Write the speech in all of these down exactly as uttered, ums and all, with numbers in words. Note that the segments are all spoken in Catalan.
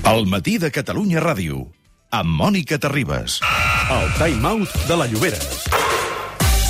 El matí de Catalunya Ràdio, amb Mònica Terribas. El time-out de la Lloberes.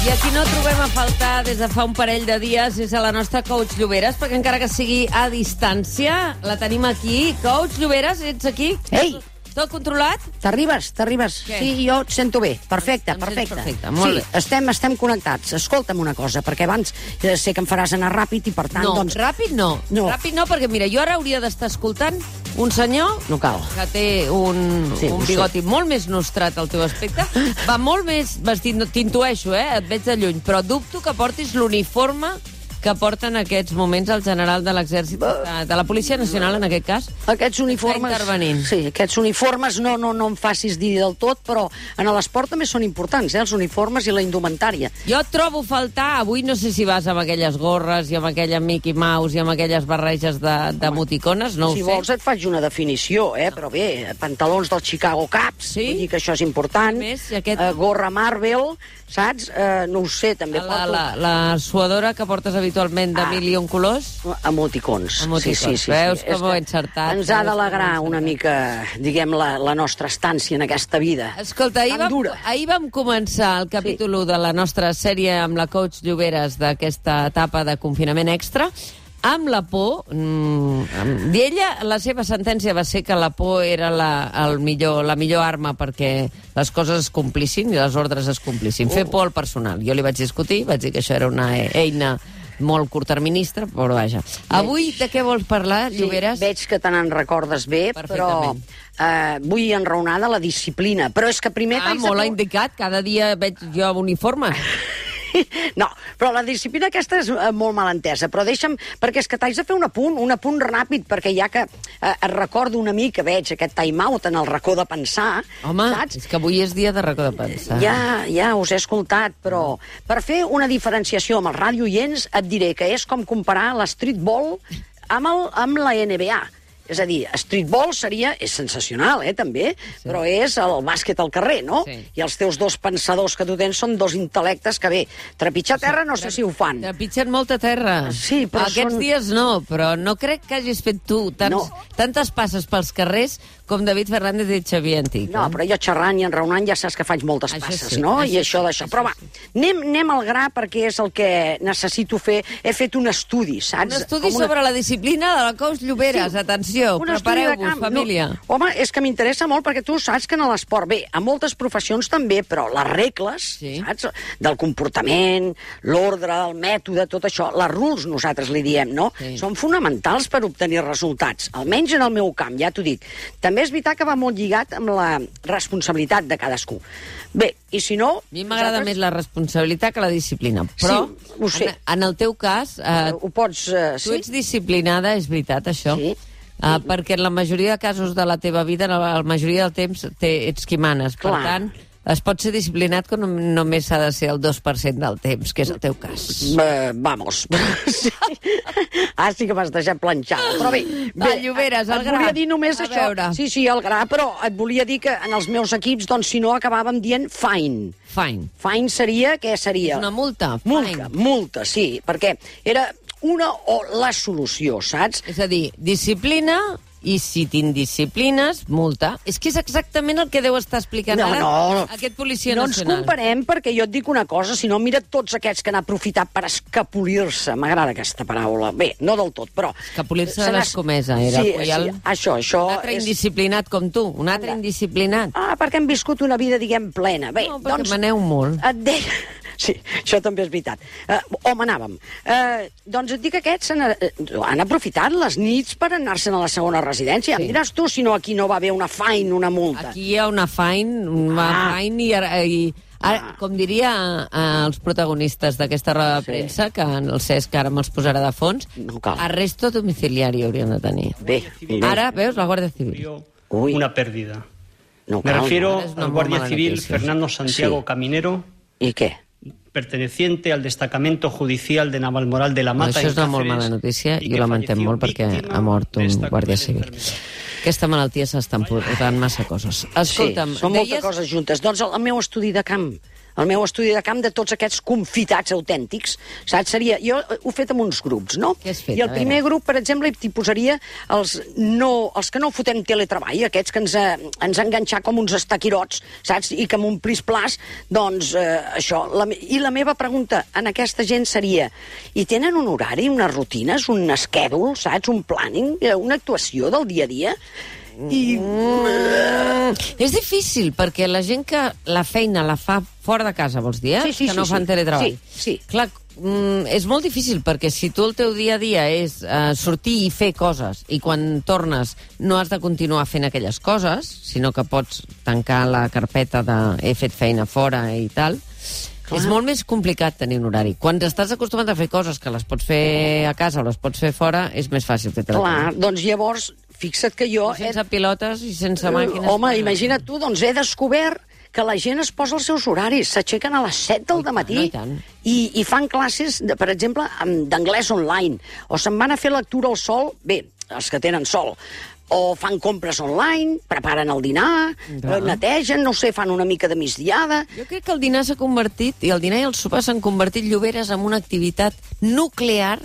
I a qui no trobem a faltar des de fa un parell de dies és a la nostra coach Lloberes, perquè encara que sigui a distància, la tenim aquí. Coach Lloberes, ets aquí? Ei! Tot controlat? T'arribes, t'arribes. Què? Sí, jo et sento bé. Perfecte, Em sents perfecte. perfecte, molt sí, bé. estem, estem connectats. Escolta'm una cosa, perquè abans eh, sé que em faràs anar ràpid i, per tant, No, doncs... ràpid no. No. Ràpid no, perquè mira, jo ara hauria d'estar escoltant un senyor No cal. que té un, Sí, un ho sé. bigoti molt més nostrat al teu aspecte. Va molt més vestit, no, t'intueixo, eh? Et veig de lluny, però dubto que portis l'uniforme que porta en aquests moments el general de l'exèrcit, de, de la Policia Nacional, en aquest cas. Aquests uniformes... Està intervenint. Sí, aquests uniformes no, no, no em facis dir del tot, però en l'esport també són importants, eh, els uniformes i la indumentària. Jo et trobo faltar, avui no sé si vas amb aquelles gorres i amb aquella Mickey Mouse i amb aquelles barreges de, de moticones, no si ho sé. vols et faig una definició, eh? Però bé, pantalons dels Chicago Cubs, Sí? vull dir que això és important. I més, i aquest- Eh, gorra Marvel, saps? Eh, no ho sé, també La, porto... la, la suadora que portes habitualment de Ah. mil i un colors. Emoticons. Emoticons. Sí, sí, sí, Veus sí. com És ho he que encertat? Ens ha Veus d'alegrar com ho he una mica, diguem, la, la nostra estància en aquesta vida. Escolta, ahir Tan vam, dura. ahir vam començar el capítol u de la nostra sèrie amb la coach Lloberes d'aquesta etapa de confinament extra, amb la por. Mm, amb- I ella, la seva sentència va ser que la por era la, el millor, la millor arma perquè les coses es complissin i les ordres es complissin. Fer por al personal. Jo li vaig discutir, vaig dir que això era una e- eina molt curtterminista, però vaja. Avui de què vols parlar, Lloberes? Sí, veig que te n'en recordes bé, però Perfectament. eh, vull enraonar de la disciplina. Però és que primer... Ah, t'haig de molt fer- indicat. Cada dia veig jo uniforme. No, però la disciplina aquesta és eh, molt mal entesa, però deixa'm, perquè és que t'haig de fer un apunt, un apunt ràpid, perquè ja que eh, et recordo una mica, veig aquest time-out en el racó de pensar, Home, saps? és que avui és dia de racó de pensar. Ja, ja us he escoltat, però per fer una diferenciació amb els radioients et diré que és com comparar l'streetball amb, el, amb la N B A. És a dir, streetball seria, és sensacional, eh, també, sí. Però és el bàsquet al carrer, no? Sí. I els teus dos pensadors que tu tens són dos intel·lectes que, bé, trepitjar terra no sé si ho fan. Trepitgen molta terra. Sí, però Aquests són- dies no, però no crec que hagis fet tu tants, No. tantes passes pels carrers com David Fernández i Xavier Antic. No, eh? però jo xerrant i enraonant ja saps que faig moltes Això passes, sí, no? això I això sí, d'això. això Però va, sí. anem, anem al gra perquè és el que necessito fer. He fet un estudi, saps? Un estudi Com una- sobre la disciplina de la coach Lloberes. Sí, Atenció, un estudi de prepareu-vos, camp. família. No, home, és que m'interessa molt perquè tu saps que en l'esport, bé, a moltes professions també, però les regles, Sí. saps? Del comportament, l'ordre, el mètode, tot això, les rules nosaltres li diem, no? Sí. Són fonamentals per obtenir resultats, almenys en el meu camp, ja t'ho dic. També és veritat que va molt lligat amb la responsabilitat de cadascú. Bé, i si no... A mi m'agrada nosaltres- més la responsabilitat que la disciplina, però Sí, ho sé. en, en el teu cas, eh, Ho pots... Eh, tu sí? ets disciplinada, és veritat, això? Sí. Uh, perquè en la majoria de casos de la teva vida, en la, la majoria del temps, te, ets qui manes. Per Clar. tant, es pot ser disciplinat que no, només s'ha de ser el dos per cent del temps, que és el teu cas. Uh, vamos. Sí. Ah, sí que m'has deixat planxada. Però bé, Va, bé Lloberes, el et gra. volia dir només A això. veure. Sí, sí, el gra, però et volia dir que en els meus equips, doncs, si no, acabàvem dient fine. Fine. Fine seria, què seria? És una multa. Multa, Fine. multa, sí, perquè era una o la solució, saps? És a dir, disciplina, i si t'indisciplines, multa. És que és exactament el que deu estar explicant No, ara no. aquest policia No ens nacional. comparem, perquè jo et dic una cosa, si no, mira tots aquests que han aprofitat per escapolir-se. M'agrada aquesta paraula. Bé, no del tot, però... Escapolir-se se de n'ha- l'escomesa, era sí, el Puyal. Sí, això, això... Un altre és... indisciplinat com tu, un altre Anda. indisciplinat. Ah, perquè hem viscut una vida, diguem, plena. Bé, No, perquè doncs... maneu molt. Et deia... Sí, això també és veritat. Uh, on anàvem? Uh, doncs et dic que aquests han, uh, han aprofitat les nits per anar-se'n a la segona residència. Sí. Em diràs tu si no aquí no va haver una fine, una multa. Aquí hi ha una fine, una Ah. fine i, ara- i ara, com diria eh, els protagonistes d'aquesta roda de Sí. premsa, que el Cesc ara me'ls posarà de fons, No cal. arresto domiciliari hauríem de tenir. Bé, bé. Ara, veus, la Guàrdia Civil. Uy. Una pérdida. No Me cal. refiero es una al muy guardia mala civil noticia. Fernando Santiago Sí. Caminero, I què? perteneciente al destacamento judicial de Navalmoral de la No, Mata. això en és una molt Cáceres, mala notícia y i que ho lamentem falleció molt perquè víctima ha mort de un esta guàrdia cruel civil. enfermedad. Aquesta malaltia s'està emportant massa coses. Escolta'm, sí, són moltes deies... coses juntes. Doncs el, el meu estudi de camp, el meu estudi de camp de tots aquests confitats autèntics, saps? Seria, jo ho he fet amb uns grups, no? Què has fet? I el primer grup, per exemple, t'hi posaria els, no, els que no fotem teletreball, aquests que ens, eh, ens han enganxat com uns estaquirots, saps? I que amb un plis-plas, doncs, eh, això. La, I la meva pregunta en aquesta gent seria, i tenen un horari, unes rutines, un schedule, saps? Un planning, una actuació del dia a dia? I... Mm, és difícil, perquè la gent que la feina la fa fora de casa, vols dir, eh? Sí, sí, que no sí, fan sí. teletreball. Sí, sí. Clar, mm, és molt difícil, perquè si tu el teu dia a dia és uh, sortir i fer coses, i quan tornes no has de continuar fent aquelles coses, sinó que pots tancar la carpeta de he fet feina fora i tal, clar, és molt més complicat tenir un horari. Quan estàs acostumat a fer coses que les pots fer a casa o les pots fer fora, és més fàcil fer teletreball. Clar, doncs llavors, fixa't que jo... Sense pilotes i sense màquines... Home, imagina't tu, doncs he descobert que la gent es posa els seus horaris, s'aixequen a les set del dematí i, tant. i, i fan classes, de, per exemple, d'anglès online, o se'n van a fer lectura al sol, bé, els que tenen sol, o fan compres online, preparen el dinar, Clar. netegen, no sé, fan una mica de migdiada... Jo crec que el dinar s'ha convertit, i el dinar i el sopar s'han convertit, Lloberes, en una activitat nuclear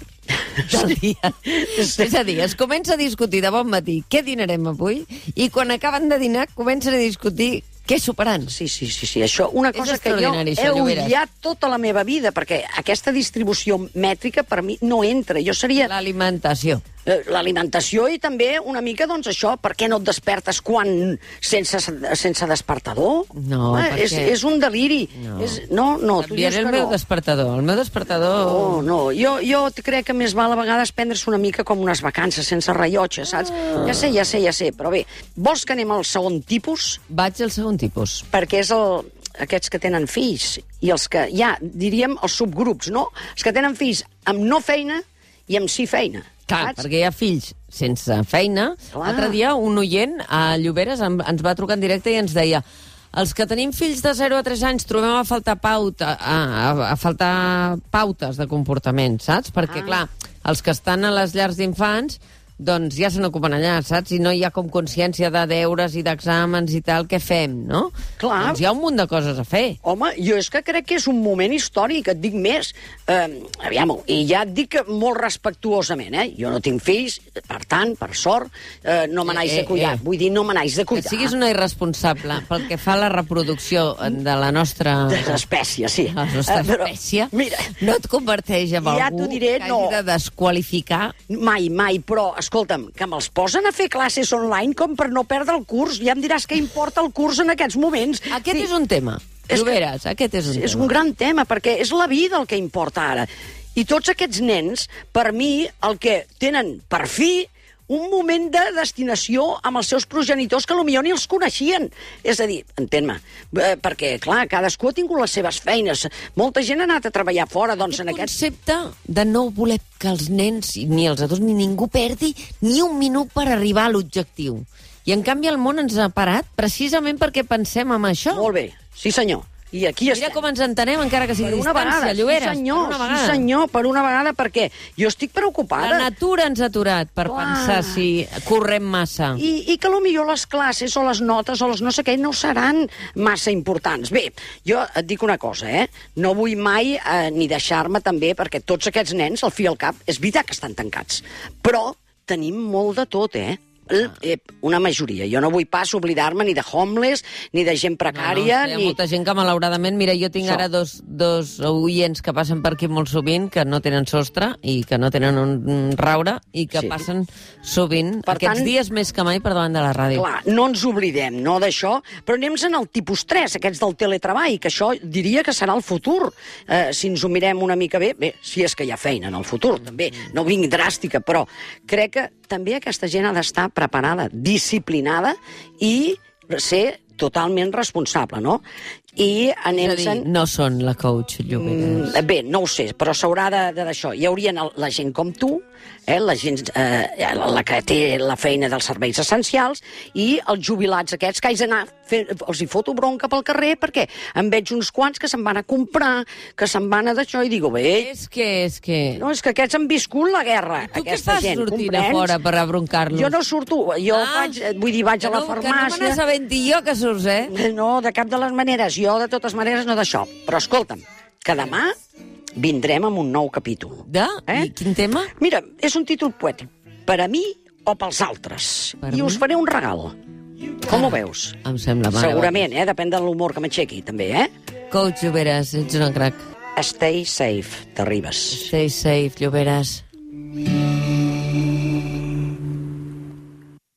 del dia. Sí. És a dir, es comença a discutir de bon matí què dinarem avui, i quan acaben de dinar comencen a discutir què soparan. Sí, sí, sí, sí. Això, una És cosa que jo extraordinari, he això, Lloberes. odiat tota la meva vida, perquè aquesta distribució mètrica per mi no entra. Jo seria... L'alimentació. eh, l'alimentació i també una mica, doncs, això, per què no et despertes quan sense, sense despertador? No, eh, perquè... és, és un deliri. No, és, no, no tu dius Canviaré que el meu no. despertador. El meu despertador... No, no, jo, jo crec que més val a vegades prendre's una mica com unes vacances, sense rellotge, saps? Ah. Ja sé, ja sé, ja sé, però bé, vols que anem al segon tipus? Vaig al segon tipus. Perquè és el, aquests que tenen fills i els que, ja, diríem, els subgrups, no? Els que tenen fills amb no feina i amb sí feina. Clar, saps? perquè hi ha fills sense feina. Clar. L'altre dia un oient a Lloberes em- ens va trucar en directe i ens deia els que tenim fills de zero a tres anys trobem a faltar pauta, a, a, a faltar pautes de comportament, saps? Perquè, Ah. clar, els que estan a les llars d'infants doncs ja se n'ocupen allà, saps? I no hi ha com consciència de deures i d'exàmens i tal, què fem, no? Clar. Doncs hi ha un munt de coses a fer. Home, jo és que crec que és un moment històric, et dic més. Eh, aviam, i ja et dic que molt respectuosament, eh? Jo no tinc fills, per tant, per sort, eh, no me n'haig Eh, de cuidar. eh. Vull dir, no me n'haig de Que cuidar. siguis una irresponsable pel que fa a la reproducció de la nostra... De l'espècie, sí. La nostra Eh, però, espècie mira, no et converteix en ja algú t'ho diré, que no. hagi de desqualificar. mai, mai, però, escolta'm, que me'ls posen a fer classes online com per no perdre el curs. Ja em diràs què importa el curs en aquests moments. Aquest Sí. és un tema. És que- Lloberes, aquest és un és tema. un gran tema, perquè és la vida el que importa ara. I tots aquests nens, per mi, el que tenen, per fi, un moment de destinació amb els seus progenitors que potser ni els coneixien. És a dir, entén-me, eh, perquè, clar, cadascú ha tingut les seves feines. Molta gent ha anat a treballar fora, doncs, en Aquest aquests... concepte de no voler que els nens, ni els adults, ni ningú perdi ni un minut per arribar a l'objectiu. I, en canvi, el món ens ha parat precisament perquè pensem en això. Molt bé, sí senyor. I aquí Mira estem. com ens entenem, encara que sigui Per una distància, vegada, Lloberes. sí senyor, per una sí vegada. senyor, per una vegada, perquè jo estic preocupada. La natura ens ha aturat per Clar. pensar si correm massa. I, I que potser les classes o les notes o les no sé què no seran massa importants. Bé, jo et dic una cosa, eh? No vull mai eh, ni deixar-me també, perquè tots aquests nens, al fi i al cap, és veritat que estan tancats. Però tenim molt de tot, eh? Eh, una majoria. Jo no vull pas oblidar-me ni de homeless, ni de gent precària, No, no, hi ha ni... molta gent que, malauradament, mira, jo tinc Això. ara dos, dos oients que passen per aquí molt sovint, que no tenen sostre i que no tenen un, un raure i que Sí. passen sovint, Per aquests tant- dies més que mai, per davant de la ràdio. Clar, no ens oblidem, no, d'això, però anem en el tipus tres, aquests del teletreball, que això diria que serà el futur. Eh, si ens ho mirem una mica bé, bé, si és que hi ha feina en el futur, també, no vinc dràstica, però crec que també aquesta gent ha d'estar preparada, disciplinada i ser totalment responsable, no? I És a anem dir, no són la coach Lloberes. Mm, bé, no ho sé, però s'haurà de, de d'això. Hi haurien el, la gent com tu, eh, la gent eh, la que té la feina dels serveis essencials i els jubilats aquests que haig d'anar fent, els hi foto bronca pel carrer perquè em veig uns quants que se'n van a comprar, que se'n van a d'això i digo, bé... És que, és que... No, és que aquests han viscut la guerra, tu aquesta gent, què fas sortint comprens? a fora per abroncar-los? Jo no surto, jo ah, vaig, vull dir, vaig a la no, farmàcia... Que no me n'assabenti jo que surts, eh? No, de cap de les maneres, jo de totes maneres no d'això. Però escolta'm, que demà vindrem amb un nou capítol. De? Eh? I quin tema? Mira, és un títol poètic. Per a mi o pels altres. Per I mi? us faré un regal. Com ho veus? Em sembla mal. Segurament, eh? Depèn de l'humor que m'aixequi, també, eh? Coach Lloberes, ets una crac. Stay safe, t'arribes. Stay safe, Lloberes.